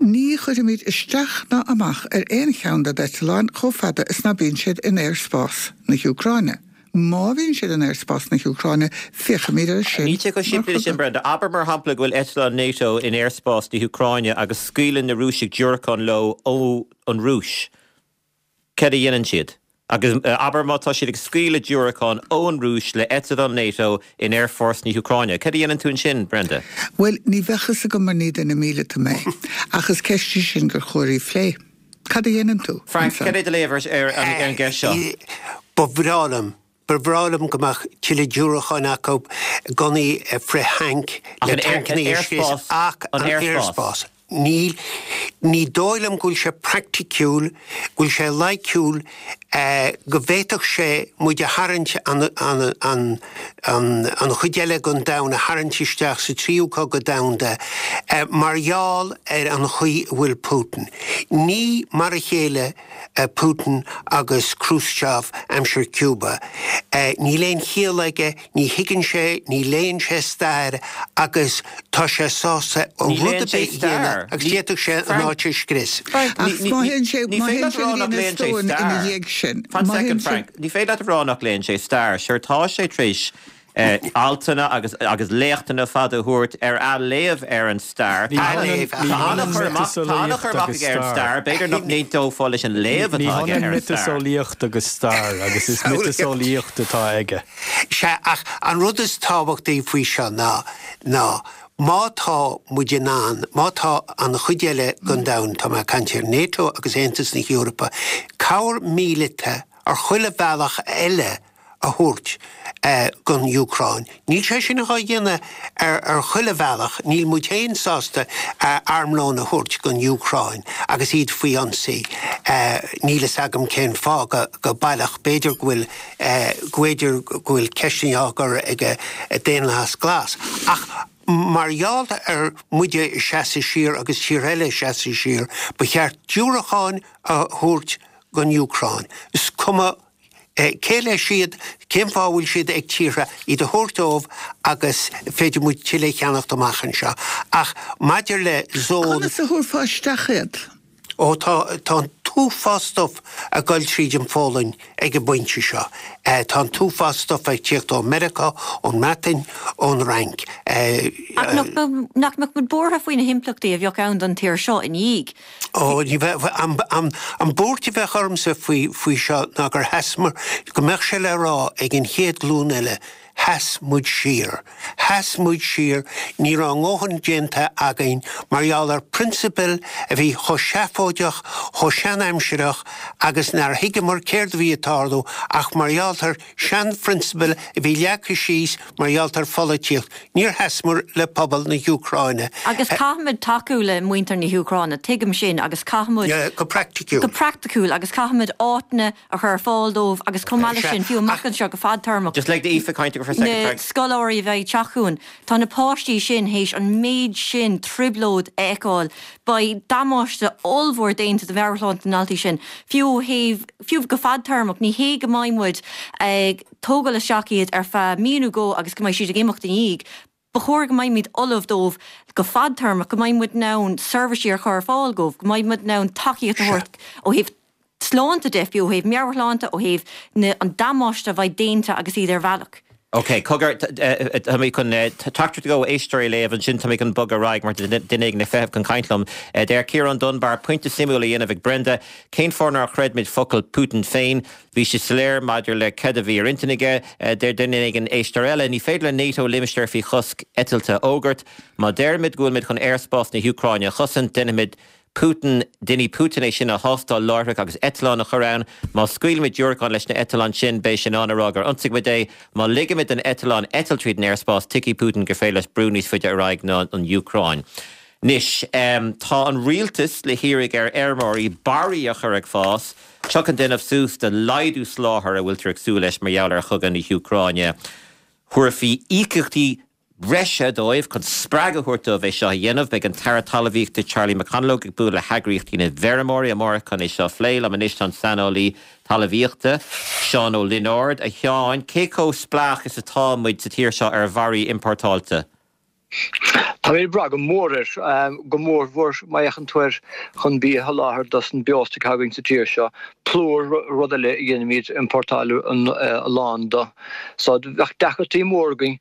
Ní chuirfimid isteach ná amach ar aon cheann de d'eitleáin chomh fada is ná bíonn siad in aerspás na hÚcráine. Má bhíonn siad in aerspás na hÚcráine, féachfaimid air sin Níl sé chomh mar simplí leis sin, chogadh. Brenda. Abair mar shampla go bhfuil eitleán NATO in aerspás na hÚcráine agus scaoileann na Rúisigh diúracán leo ó an Rúis. Céard a dhéanann siad? Agus abair má tá siad ag scaoileadh diúracán ón Rúis le eitleán NATO in aerfort na hÚcráine. Céard a dhéanann tú ansin, Brenda? Bhuel, ní bheadh fhios agam mar ní duine míleata mé. Ach is ceist í sin gur chóir í a phlé. Cad a dhéanann tú Frank, ansan? cad é do léamh ar an gceist seo? Ba bhreá liom, ba bhreá liom go mbeadh tuilleadh diúracáin acu, gunnaí frith-thanc Ach le an aer, an tancanna a scrios, aerspás, ach an an aerspás. aerspás. Níl, ní dóigh liom go bhfuil sé praiticiúil, go bhfuil sé loighciúil, go bhféadfadh sé muid a tharraingt, an, an, an, an, an chuid eile den domhan a tharraingt isteach sa tríú cogadh domhanda mar gheall ar an chaoi a bhfuil Putin. Ní mar a chéile Putin agus Khrushchev aimsir Cuba. Níl aon chiall aige, ní thuigeann sé, ní léann sé stair agus tá sé sásta Ní rud léann ar sé bith a dhéanamh stair. agus Ní, d'fhéadfadh sé an Frank, áit a scrios. Frank, Ach ní, má ní, théann sé, ní má féidir théann leat a sé rá go dtí nach an léann sé Eastóin ina stair. dhiaidh sin, Fan má second, théann sé, Frank. Ní féidir leat a rá nach léann sé stair. Sure, tá sé tar éis eh, altanna agus, agus léachtanna fada a thabhairt ar athléamh ar an stair. Ní Tá hionann Athléamh, ní tá hionann an-chur amach, tá an-chur miotaseolaíocht amach agus aige ar an stair. stair. B'fhéidir nach n-aontófá leis an léamh Ní atá aige hionann ar an stair. miotaseolaíocht agus stair agus is miotaseolaíocht atá aige. Sea, ach an rud is tábhachtaí faoi seo ná, ná má tá muid in ann, má tá an chuid eile den domhan, tá mé ag caint ar NATO agus Aontas na hEorpa, cabhair míleata ar chuile bhealach eile a thabhairt gon Úcráin. Níl sé sin á dhéanamh ar ar chuile bhealach, níl muid féin sásta armlón a thabhairt gon Úcráin agus iad faoi ionsaí. Níl fhios agam cén fáth go go baileach, b'fhéidir go bhfuil go bhféidir go bhfuil ceisteanna á gcur ag Daonlathas Glas. Ach mar gheall ar muide ag seasamh siar agus tíortha eile ag seasamh siar, ba cheart diúracáin a thabhairt gon Úcráin. Is cuma cé leis iad, cén fáth a bhfuil siad ag tíortha, iad a thabhairt dóibh agus féadfaidh muid tuilleadh a cheannacht amach anseo. Ach maidir le zón. Conas a thabharfá isteach iad? Ó tá, tá an t-uafás stuif ag goil tríd an Pholainn ag an bpointe seo. Tá an t-uafás stuif ag tíocht ó Meiriceá, ón mBreatain, ón Fhrainc. Ach nach mbeadh muid buartha faoi na himpleachtaí a bheadh ann don tír seo i ndiaidh? Ó, ní bheadh, an, an buairt a bheadh ormsa faoi, faoi seo ná gur sheasamar, go mbeadh sé le rá ag an chéad ghlúin eile, Sheas muid siar. Sheas muid siar. Ní raibh a ndóthain déanta againn mar gheall ar prionsabail a bhí chomh seafóideach, chomh seanaimsireach agus nár thuigeamar céard a bhí ag tarlú ach mar gheall ar seanphrionsabail a bhí leagtha síos mar gheall ar pholaitíocht. Níor sheasamar le pobal na hÚcráine. Agus caithfimid tacú le muintir na hÚcráine, tuigim sin, agus caithfimid. Go praiticiúil. Go praiticiúil agus caithfimid áiteanna a chur ar fáil dóibh agus chomh maith leis sin, fiú amach anseo go fadtéarmach. Just lig d'Aoife caint for a second, na Frank. scoláirí a bheidh ag teacht chugainn, tá na páistí sin théis an méid sin trioblóid a fheiceáil, beidh damáiste ollmhór déanta do mheabhairshláinte na ndaltaí sin, fiú ó thaobh, fiú go fadtéarmach, ní hé go mbeidh muid ag tógáil isteach iad ar feadh mí nó dhó agus go mbeidh siad ag imeacht ina dhiaidh. Ba chóir go mbeimid ullamh dóibh go fadtéarmach, go mbeidh muid in ann seirbhísí a chur ar fáil dóibh, go mbeidh muid in ann tacaíocht a thabhairt ó thaobh sláinte de, fiú ó thaobh meabhairshláinte, ó thaobh na, an damáiste a bheidh déanta agus iad ar bhealach. Ok, cogar, tá mé chun teachtaireacht ó éisteoirí a léamh ansin, tá mé chun bogadh ar aghaidh mar tá duine éigin ag feitheamh chun caint liom. Deir Ciarán Dunbar, pointe suimiúil á dhéanamh ag Brenda, cén fáth nár chreid muid focal Putin féin? Bhí sé soiléir maidir le cad a bhí ar intinn aige. Deir duine éigin, éisteoir eile, ní féidir le NATO limistéar faoi chosc eitilte a fhógairt. Má deirimid go bhfuilimid chun aerspás na hÚcráine a chosaint, déanfaimid Putin, déanfaidh Putin é sin a thástáil láithreach agus eitleán a chur ann. Má scaoilimid diúracáin leis na eitleáin sin, beidh sé in ann a rá gur ionsaigh muid é. Má ligimid don eitleán eitilt tríd an aerspás, tuigfidh Putin gur féidir leis brú níos faide ar aghaidh ná an Úcráin. Anois, tá an rialtas le hiarraidh ar fheirmeoirí barraí a chur ag fás, tríocha déanamh suas do laghdú soláthair a bhfuiltear ag súil leis mar gheall ar chogadh na hÚcráine. Thabharfaí íocaíochtaí breise dóibh chun spreagadh a thabhairt dóibh é seo a dhéanamh. Beidh an tAire Talmhaíochta Charlie McConalogue ag bualadh le heagraíochtaí na bhfeirmeoirí amárach chun é seo a phlé. Liom anois tá an saineolaí talmhaíochta, Seán Ó Lionáird. A Sheáin, cé chomh spleách is atá muid sa tír seo ar bharraí importáilte? Táimid ag brath go mór air, go mór mhór má fhéachann tú air chun bia a sholáthar dos an beostoc atá againn sa tír seo. Plúr, rud eile a dhéanaimid importáil a lán de. So bheadh deacrachtaí mór againn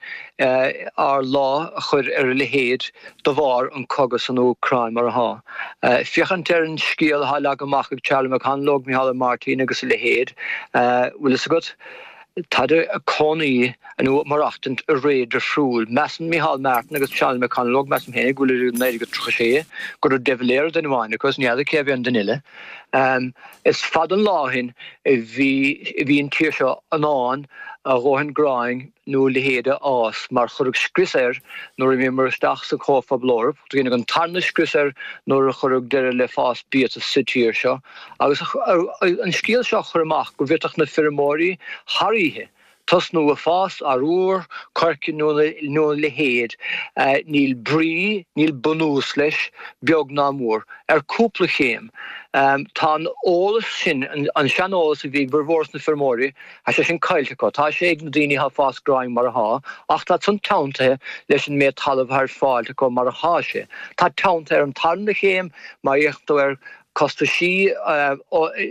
ár lá a chur ar a leithéid de bharr an cogadh san Úcráin mar atá. Féachaint ar an scéal atá leagtha amach ag Charlie McConalogue, Micheál Martin agus a leithéid, bhfuil fhios agat, Táid ag cónaí nó ag maireachtaint i ré difriúil. Measann Micheál Martin agus Charlie McConalogue, measaim féin, go bhfuil idir naoi déag tríocha sé go raibh de Valera duine amháin acu agus ní fheadar cé a bhí an duine eile. Is fada an lá ó shin a bhí a bhí an tír seo in ann a dhóthain gráin nó a leithéid a fhás mar cuireadh scrios air nuair a imíomar isteach sa Chomhphobal Eorpach. Deineadh an tarna scrios air nuair a cuireadh deireadh le fás biata sa tír seo. Agus an scéal seo a chur amach go bhféadfadh na feirmeoirí thar oíche tosnú ag fás arúr, coirce nó a leithéid, níl brí, níl bunús leis, beag ná mór, ar cúpla chéim. Tá an eolas sin, an seaneolas a bhí ag formhór na feirmeoirí, tá sé sin caillte acu. Tá sé ag na daoine atá ag fás gráin mar atá, ach tá san teanntaithe leis an méid talaimh atá ar fáil acu mar atá sé. Tá teanntaithe ar an tarna chéim, má fhéachann tú ar costaisí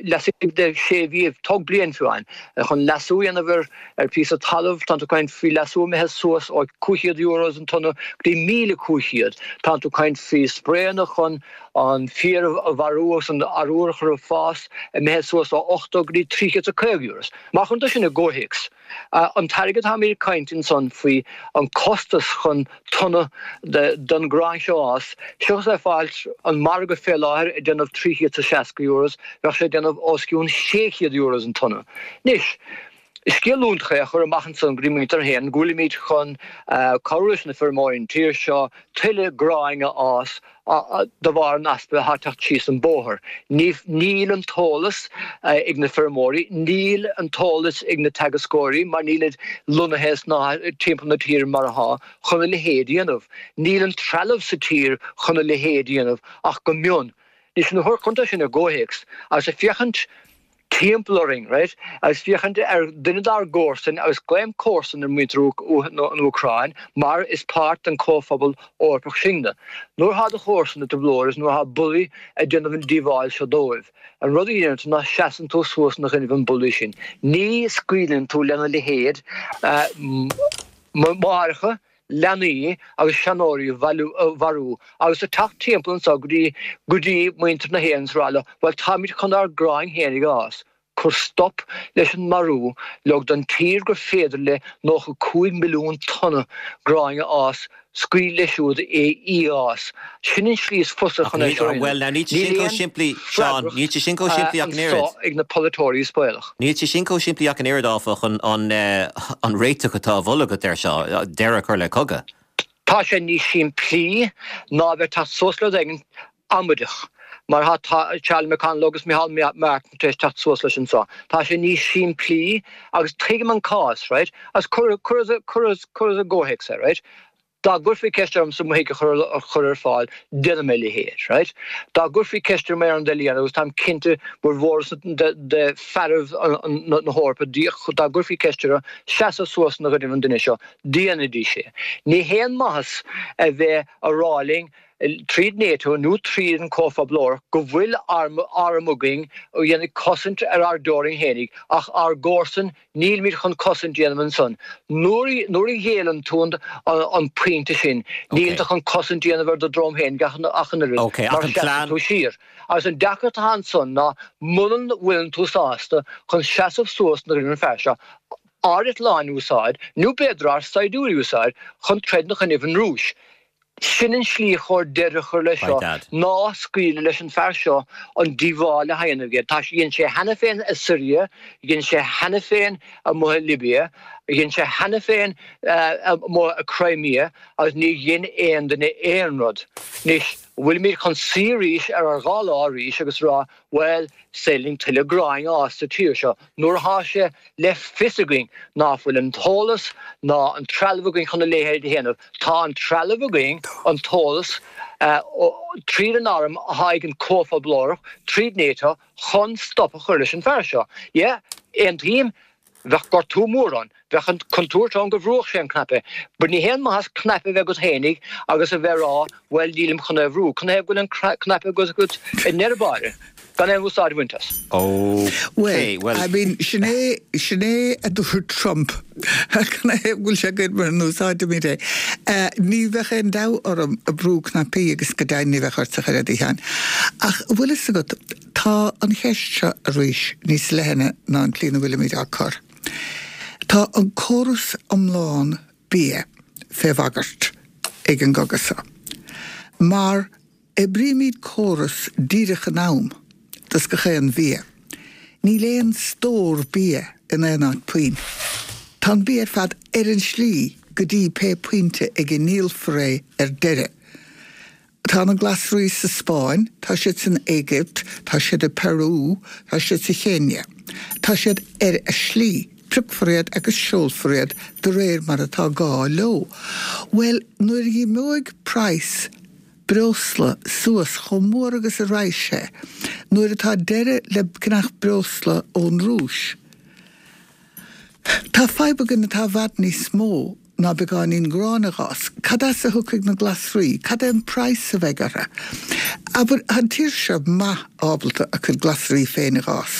laistigh de sé mhí, tóg bliain fiú amháin, chun leasú a dhéanamh ar ar phíosa talaimh, tánn tú ag caint faoi leasú imithe suas ó cúig chéad euros an tonna go dtí míle cúig chéad. Tánn tú ag caint faoi spraenna chun an féar a mharú agus an arúr a chur ag fás, imithe suas ó ochtó go dtí trí chéad is caoga euros. Má chuireann tú sin i gcomhthéacs, an t-airgead atáimid ag caint ansan faoi, an costas chun tonna den ghrán seo a fhás, seachas é fáilt an margadh fé láthair ag déanamh trí chéad is seasca euros, bheadh sé ag déanamh os cionn sé chéad euros an tonna. Anois, Is scéal iontach é a chur amach ansan go dtí muintir na hÉireann go bhfuilimid chun cabhrú leis na feirmeoirí an tír seo tuilleadh gráin a fhás de bharr an easpa atá ag teacht síos an bóthar. Níl an t-eolas ag na feirmeoirí, níl an t-eolas ag na teagascóirí mar nílid lonnaithe sna timpeall na tíre mar atá chun a leithéid a dhéanamh. Níl an trealamh sa tír chun a leithéid a dhéanamh ach go mion. Anois nuair a chuireann tú sin i gcomhthéacs agus ag féachaint timpeall orainn, right, agus féachaint ar duine dár gcomharsain, agus glaoim comharsan ar mhuintir na hÚcráin mar is páirt den Chomhphobal Eorpach sinne. Nuair atá do chomharsan i dtrioblóid is nuair atá bullaí ag déanamh an díobháil seo dóibh, an rud a dhéanann tú ná seasann tú suas ina gcoinnibh an bullaí sin. Ní scaoileann tú lena leithéid máithreacha, leanaí agus seanóirí a mharú agus ag teacht timpeall anseo go dtí go dtí muintir na hÉireann is rá leo, bhuel táimid chun ár gráin fhéinig a fhás, cuir stop leis an marú, leog don tír gur féidir léi nócha cúig milliún tonna gráin a fhás, scaoil leis siúd é í a fhás. Sin an slí is fusa chun é seo a dhéanamh. Bhuel, now níl sé sin chomh simplí, Seán, níl sé sin chomh simplí ach an oiread. anseo ag na polaiteoirí is baolach. Níl sé sin chomh simplí ach an oiread, áfach, an an réiteach atá á mholadh agat air seo, deireadh a chur le cogadh. Tá sé níos simplí ná a bheith ag teacht suas le rud éigin amaideach, mar atá Charlie McConalogue agus Micheál Martin tar éis teacht suas leis anseo. Tá sé níos simplí agus tuigim an cás, right, agus cuir cuir cuir cuir i gcomhthéacs é, right. Dá gcuirfí ceist ormsa mo thigh a chur ar fáil, déanfaidh mé a leithéid, right? Dá gcuirfí ceist orm aon rud eile a dhéanamh, agus táim cinnte formhór de fearaibh na hEorpa, dá gcuirfí ceist orthu seasamh suas ina gcoinnibh an duine seo, déanfaidís é. Ní haon maitheas a bheith a rá linn, tríd NATO nó tríd an Comhphobal Eorpach, go bhfuil arm againn a dhéanfaidh cosaint ar ár dteorainn fhéinig, ach ár gcomharsain, nílimid chun cosaint a dhéanamh ansan. Nuair nuair a ghéilleann tú an pointe sin, níl tú chun cosaint a dhéanamh ar do dhroim féinig ach an oiread, mar seasann tú siar. Agus an deacracht atá ansan ná munan bhfuileann tú sásta chun seasamh suas ina gcoinnibh an fear seo, ár eitleáin a úsáid, nó b'fhéidir ár saighdiúirí a úsáid, chun troid ina choinnibh an Rúis. Sin an slí chóir deireadh a chur leis seo, ná scaoileadh leis an fear seo an díobháil a dhéanamh aige. Tá sé, dhein sé cheana féin i Siria, dhein sé cheana féin amuigh i Libia, dhein sé cheana féin amuigh i Crimea agus ní dhein aon duine aon rud. Anois, bhfuilimid chun suí arís ar ár dhá lámh arís agus rá, bhuel, is féidir linn tuilleadh gráin a fhás sa tír seo nuair atá sé le fios againn ná fuil an t-eolas ná an trealamh againn chun a leithéid a dhéanamh. Tá an trealamh againn, an t-eolas, tríd an arm atá ag an Comhphobal Eorpach, tríd NATO, chun stop a chur leis an bhfear seo. Yeah, aontaím, Bheadh gortú mór ann. Bheadh an chontúirt ann go bhrúfadh sé an cnaipe. But ní haon maitheas cnaipe a bheith agat fhéinig agus a bheith ag rá bhuel nílim chun é a bhrú. Canathaobh go bhfuil an cnaipe agat i ndeireadh báire gan aon úsáid a bhaint as? Ok, Bhuel, I mean, sin é, sin é a dúirt Trump. Canathaobh go bhfuil sé againn mura n-úsáidimid é? Ní bheadh aon dabht orm ag brú cnaipí agus go deimhin ní bheadh ort ach oiread, a Sheáin. Ach bhfuil fhios agat, Tá an cheist seo arís níos leithne ná an tslí ina bhfuilimid á cur. Tá an córas iomlán bia fé bhagairt ag an gcogadh seo. Mar oibrímid córas díreach in am dos gach aon bhia. Níl aon stór bia in aon áit puinn. Tá an bia ar fad ar an slí go dtí pé pointe ag a ndíolfar é ar deireadh. Tá na glasraí sa Spáinn, tá siad san Éigipt, tá siad i Peru, tá siad sa Chéinia. Tá siad ar a slí, piocfar iad agus seolfar iad de réir mar atá gá leo. Bhuel, nuair a imeoidh praghas breosla suas chomh mór agus a raghaidh sé, nuair atá deireadh le ceannach breosla ón Rúis, Tá fadhb againn atá i bhfad níos mó ná beagáinín gráin a dh'fhás. Cad as a thiocfaidh na glasraí? Cad é an praghas a bheidh orthu? Abair, tá an tír seo maith ábalta a cuid glasraí féin a dh'fhás.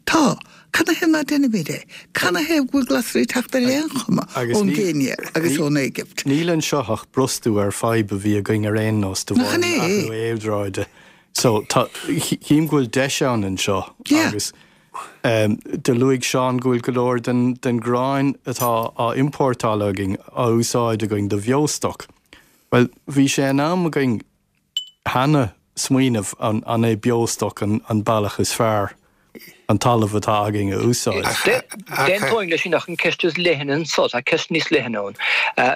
Tá. Canathaobh ná déanaimid é? Canathaobh go bhfuil glasraí ag teacht ar aon chuma ón gCéinia agus ón Éigipt? Níl anseo ach brostú ar fadhb a bhí againn ar aon nós de Nach bharr in an é? athrú aeráide. So, tá, chím go bhfuil deis ann anseo agus Do luaigh Seán go bhfuil go leor den ghráin atá á iompórtáil againn á úsáid againn do bheostoc. Bhuel, bhí sé in am againn cheana smaoineamh an é beostoc an bealach is fearr an talamh atá againn a úsáid. D'aontóinn leis sin ach an ceist is leithne anso, tá ceist níos leithne ann.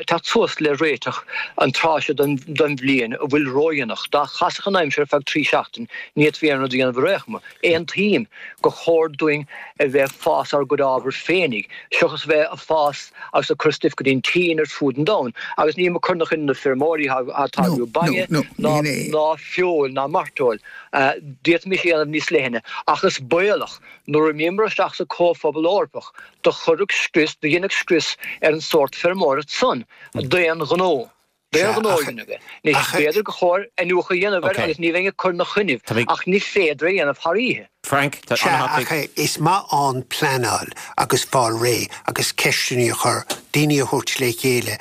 Teacht suas le réiteach an tráth seo den bhliain a bhfuil ródhéanach. Dá chasfadh an aimsir ar feadh trí seachtain, ní fhéadfaí aon rud a dhéanamh ar aon chuma. Aontaím gur chóir dúinn a bheith ag fás ár gcuid ábhair féinig, seachas a bheith ag fás agus ag cur stuif go dtí an tSín ar fud an domhain. Agus nílim ag cur ina choinne na feirmeoirí atá ag táirgeadh bainne ná feoil ná mairteoil. D'fhéadfaimis é a dhéanamh níos leithne, ach is baolach, nuair a imíomar isteach sa Chomhphobal Eorpach, do chuirfeadh scrios, do dhéanfadh scrios ar an sórt feirmeoireacht san, d'aon ghnó. D'aon ghnó a dhéanamh é. Anois, b'fhéidir gur chóir iniúchadh a dhéanamh air agus ní bheinn ag cur ina choinnibh, ach ní féidir é a dhéanamh thar oíche. Frank, tá Sea, ach is maith ann pleanáil agus fáil réidh agus ceisteanna a chur, daoine a thabhairt le chéile.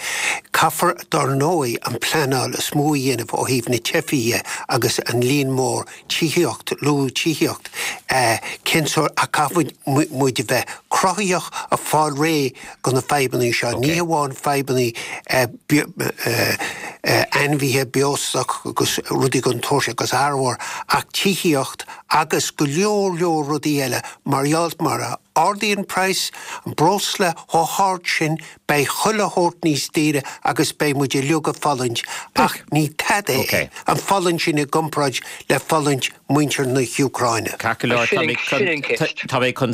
Caithfear, dár ndóigh, an pleanáil is mó a dhéanamh ó thaobh na teifigh dhe agus an líon mór tithíocht, luadh tithíocht, cén sórt, ach caithfidh muid a bheith cruthaitheach ag fáil réidh go na fadhbanna seo, ní hamháin fadhbanna ainmhithe, beostoc agus rudaí den tsórt sin agus arbhar, ach tithíocht agus go leor leor rudaí eile mar gheall mar a ardaíonn praghas an breosla chomh hard sin beidh chuile shórt níos daoire agus beidh muid uilig ag fulaingt ach ní tada é an fulaingt sin i gcomparáid le fulaingt muintir na hÚcráine. Ceart go leor, tá mé chun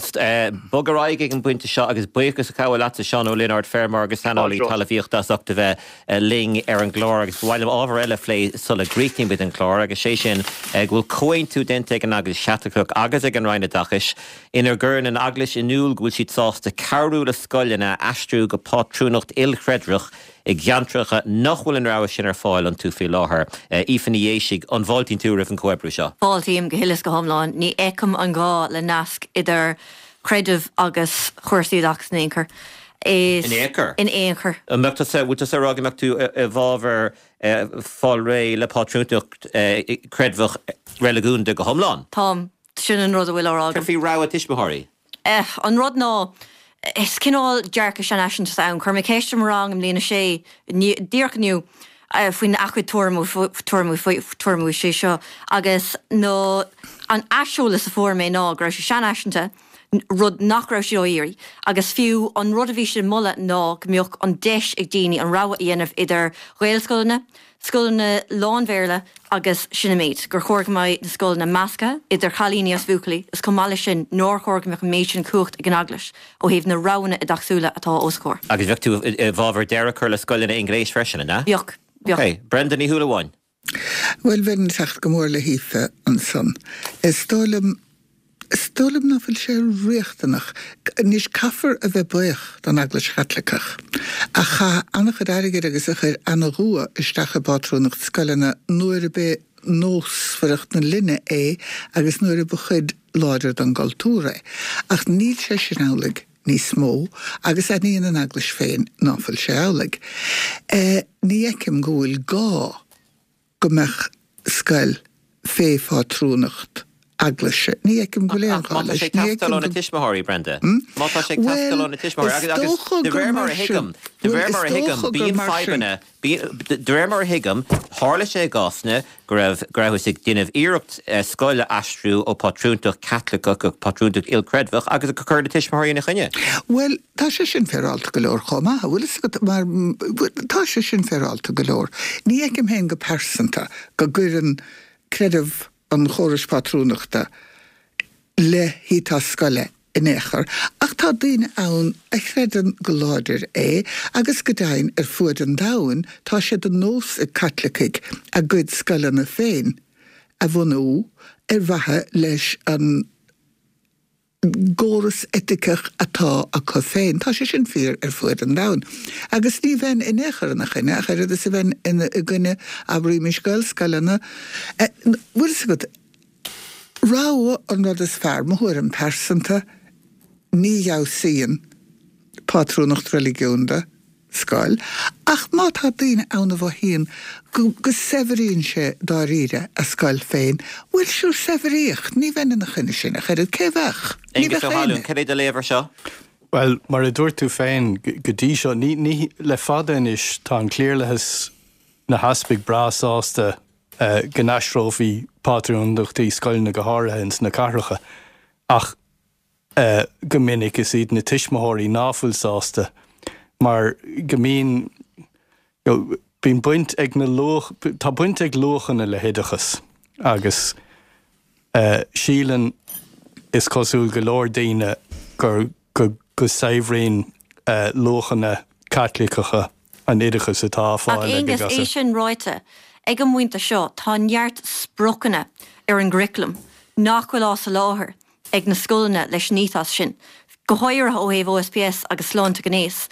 bogadh ar aghaidh ag an bpointe seo agus buíochas a ghabháil leatsa Seán Ó Lionáird, feirmeoir agus saineolaí talmhaíochta as ucht a bheith linn ar an gclár agus ba mhaith liom ábhar eile a phlé sula gcríochnaímid an clár agus sé sin go bhfuil comhaontú déanta ag an Eaglais Chaitliceach agus ag an Roinn Oideachais inar gcuireann an Eaglais in iúl go bhfuil siad sásta cabhrú le scoileanna aistriú go pátrúnacht ilchreidmheach i gceantracha nach bhfuil an rogha sin ar fáil iontu faoi láthair. Aoife Ní Dhéisigh, an bhfáiltíonn tú roimh an chomhoibriú seo? Fáiltím go huile is go hiomlán. Ní fheicim an gá le nasc idir creideamh agus chúrsaí oideachais in aon chor. Is. In aon chor? In aon chor. An mbeadh tusa, bhfuil tusa ag rá go mbeadh tú i bhfabhar fáil réidh le pátrúntacht creidmheach reiligiúnda go hiomlán? Táim. Sin an rud a bhfuil á rá agam. Cad faoi rogha tuismitheoirí? An rud ná, is cineál dearcadh seanfhaiseanta atá ann. Chuir mé ceist i mo rang i mbliain a sé, díreach inniu, faoina gcuid tuairimí faoi seo agus na, an aiseolas a fuair mé ná go raibh sé seanfhaiseanta, rud nach raibh siad á iarraidh, agus fiú an rud a bhí siad ag moladh ná go mbeadh an deis ag daoine an rogha a dhéanamh idir Ghaelscoileanna, scoileanna lán-Bhéarla agus sin an méid, gur chóir go mbeidh na scoileanna measctha idir chailíní agus bhuachaillí is chomh maith leis sin nár chóir go mbeadh an méid sin cumhacht ag an Eaglais ó thaobh na roghanna oideachasúla atá os a comhair. Agus bheadh tú i bhfabhar deireadh a chur le scoileanna i nGréis freisin, an ea? Bheadh, bheadh. Ok. Brenda Ní Shúilleabháin. Bhuel, bheinn ag teacht go mór le hAoife ansan. Is dóigh liom Is dóigh liom ná fuil sé riachtanach. Anois, caithfear a bheith buíoch don Eaglais Chaitliceach, a chaith an-chuid airgid agus a chuir an-dua isteach i bpátrúnacht scoileanna nuair a b'é nósmhaireacht na linne é agus nuair a ba chuid láidir den gcultúr é. Ach níl sé sin amhlaidh níos mó agus aithníonn an Eaglais féin ná fuil sé amhlaidh. Ní fheicim go bhfuil gá go mbeadh scoil fé phátrúnacht eaglaise. Ní fheicim go bhfuil aon Ach ghá má tá leis. sé ag Ní teastáil fheicim ó na go. tuismitheoirí, Brenda. Má tá sé ag Bhuel, teastáil ó na tuismitheoirí is agus, agus dócha de gur réir mar mar a sin. thuigim, de Bhuel, réir is mar a thuigim, dócha gur bíonn mar sin. fadhbanna, bíonn, de réir mar a thuigim, tharla sé i gcásanna go raibh, go rabhthas ag déanamh iarracht scoil a aistriú ó pátrúntacht Chaitliceach go pátrúntacht ilchreidmheach agus gur cuireadh na tuismitheoirí ina choinne. Bhuel, tá sé sin féaráilte go leor chomh maith, an bhfuil fhios agat, mar, tá sé sin féaráilte go leor. Ní fheicim féin go pearsanta go gcuireann creideamh an chórais pátrúnachta le hethos scoile in aon chor, ach tá daoine ann a chreideann go láidir é agus go deimhin ar fuaid an domhain tá sé de nós ag Caitlicigh a gcuid scoileanna féin a bhunú ar mhaithe leis an gcóras eiticeach atá acu féin. Tá sé sin fíor ar fuaid an domhain. Agus ní bheinn in aon chor ina choinne, ach oiread is a bheinn ina i gcoinne, abraímis, Gaelscoileanna. Bhfuil fhios agat, rogha an rud is fearr, mo thuairim pearsanta, ní fheabhsaíonn pátrúnacht reiligiúnda scoil, ach má tá daoine ann a mhothaíonn go go saibhríonn sé dáiríre a scoil féin, bhuel sure saibhríodh, ní bheinn ina choinne sin ach oiread, cé bheadh? Ní Aengus bheadh Ó hAlmhain, éinne. cad é do léamh ar seo? Bhuel, mar a dúirt tú féin, go dtí seo, ní, ní, le fada anois, tá an cliarlathas, na heaspaig breá sásta go n-aistreofaí pátrúnachtaí scoileanna go háirithe ins na cathracha, ach Go minic is iad na tuismitheoirí ná fuil sásta mar go mbíonn bíonn baint ag na luach tá baint ag luachanna le hoideachas agus síleann is cosúil go leor daoine gur go go saibhríonn luachanna Caitliceacha an oideachas atá á Ach fáil ag Aonghus, é sin ráite, ag an bpointe seo tá neart spriocanna ar an gcuraclam nach bhfuil á soláthar ag na scoileanna leis an ethos sin, go háirithe ó thaobh O S P S agus sláinte gnéis.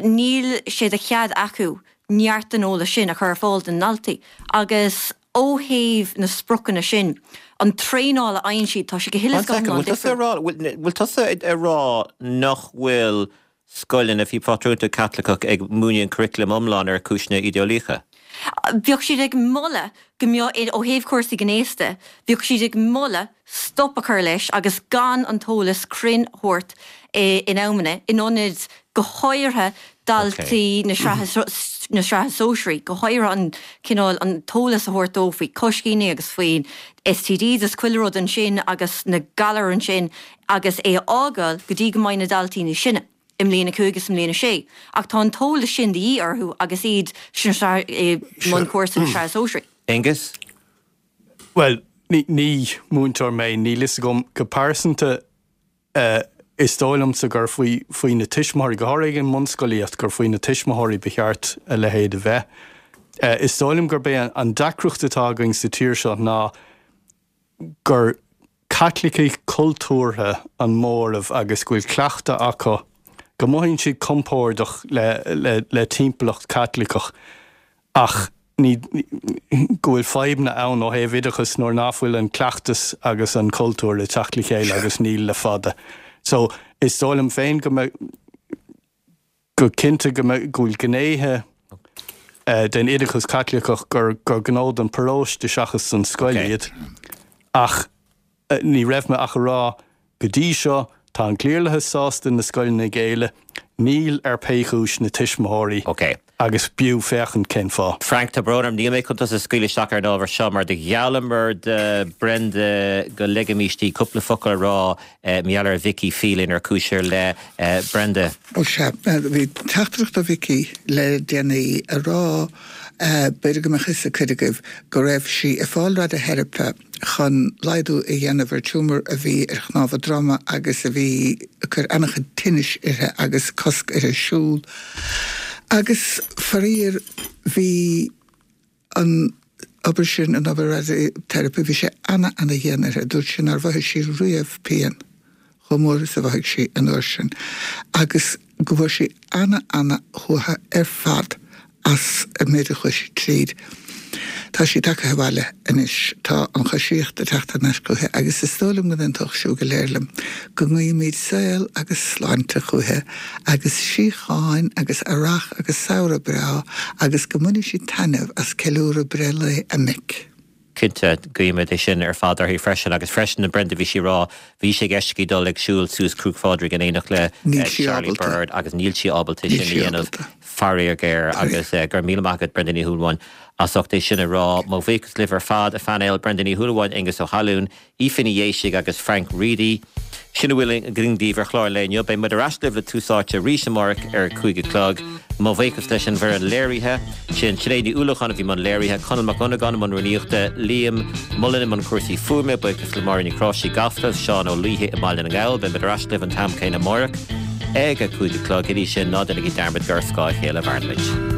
Níl sé de chead acu neart den eolas sin a chur ar fáil do na ndaltaí. Agus ó thaobh na spriocanna sin, an traenáil a fhaigheann siad, tá sé go huile is go hiomlán difriúil. Bhfuil tusa ag rá nach bhfuil scoileanna faoi phátrúnacht Caitliceach ag múineadh an curriculum iomlán ar chúiseanna idéolaíocha? Bheadh siad ag moladh go mbeadh, ó thaobh cúrsaí gnéis de, bheadh siad ag moladh stop a chur leis agus gan an t-eolas cruinn a thabhairt in amanna, in ionad go háirithe daltaí na sraithe na sraithe sóisearaí, go háirithe an cineál an t-eolas a thabhairt dóibh faoi choiscíní agus faoin S T Ds is chuile rud ansin agus na galair ansin agus é a fhágáil go dtí go mbeidh na daltaí níos sine i mbliain a cúig is i mbliain a sé. Ach tá an t-eolas sin de dhíth orthu agus iad sin i mbun cúrsa na sraithe sóisearaí. Aonghus? Bhuel, ní, ní múinteoir mé, níl fhios agam go pearsanta uh, is dóigh liomsa gur faoi faoi na tuismitheoirí, go háirithe ag an mbunscolaíocht, gur faoi na tuismitheoirí ba cheart a leithéid a bheith. Uh, is dóigh liom gurb é an deacracht atá againn sa tír seo ná gur Caitlicigh cultúrtha an móramh agus go bhfuil cleachtadh acu go mothaíonn siad compordach le, le, le timpeallacht Caitliceach ach ní go bhfuil fadhbanna ann ó thaobh oideachas nuair nach bhfuil an cleachtas agus an cultúr le teacht le chéile agus níl le fada. So is dóigh liom féin go go cinnte go go bhfuil gnéithe uh, den oideachas Caitliceach gur gur gnó don paróiste seachas an scoil iad. Ach uh, ní raibh mé ach a rá go dtí seo tá an cliarlathas sásta na scoileanna a ghéilleadh, níl ar pé chúis na tuismitheoirí Okay. agus b'fhiú féachaint cén fáth. Frank, tá brón orm, níl mé chun tusa a scaoileadh isteach ar an ábhar seo mar do gheallamar do Brenda go ligfimis di cúpla focal a rá eh, mar gheall ar Vicky Phelan ar chúis ar leith eh, Brenda. Ó sea, bhí teachtaireacht ó Vicky le déanaí a rá b'fhéidir go mbeadh fhios ag cuid agaibh go raibh sí ag fáil radaiteiripe chun laghdú a dhéanamh ar tumour a bhí ar chnámh a droma agus a bhí ag cur an-chuid tinnis uirthi agus cosc uirthi siúl. Agus faraor bhí an obair sin an obair radaiteiripe bhí sé ana ana dhian uirthi, dúirt sí nár mhothaigh sí riamh pian chomh mór is a mhothaigh sí an uair sin. Agus go bhfuair sí ana ana shuaitheadh ar fad as an méid a chuaigh sí tríd. Tá sí tagtha abhaile anois tá an choisíocht ag teacht thar n-ais chuici agus is dóigh liom go n-aontódh sibh go léir liom go nguímid saol agus sláinte chuici agus síocháin agus earrach agus samhradh breá agus go mbainfidh sí taitneamh as ceiliúradh breithlae a mic. Cinnte guímid é sin ar fad uirthi freisin agus freisin na Brenda bhí sí rá bhí sé i gceist aici dul ag siúl suas Cnoc Phádraig in éineacht le Níl eh, sí Charlie ábalta. Bird agus níl sí ábalta Níl sin sí a dhéanamh ábalta. faraor géar agus eh, gur míle maith agat Brenda Ní Shúilleabháin as ucht é sin a rá mo bhuíochas libh ar fad a phainéal Brenda Ní Shúilleabháin Aonghus Ó hAllúin, Aoife Ní Dhéisigh agus Frank Reidy. Sin a bhfuil againn daoibh ar chlár an lae inniu, beidh muid ar ais libh le Tús Áite arís amárach ar cúig a chlog. Mo bhuíochas leis an bhfoireann léirithe, sin Sinéad Ní Uallacháin a bhí i mbun léirithe, Conall Mac Dhonnagáin i mbun rúnaíochta, Liam Mullen i mbun cúrsaí fuaime, buíochas le Máirín Ní Chráisí Gasta, Seán Ó Laoithe i mBaile na nGall, beidh muid ar ais libh an t-am céanna amárach ag a cúig a chlog go dtí sin ná déanaigí dearmad gur ar scáth a chéile a mhairimid.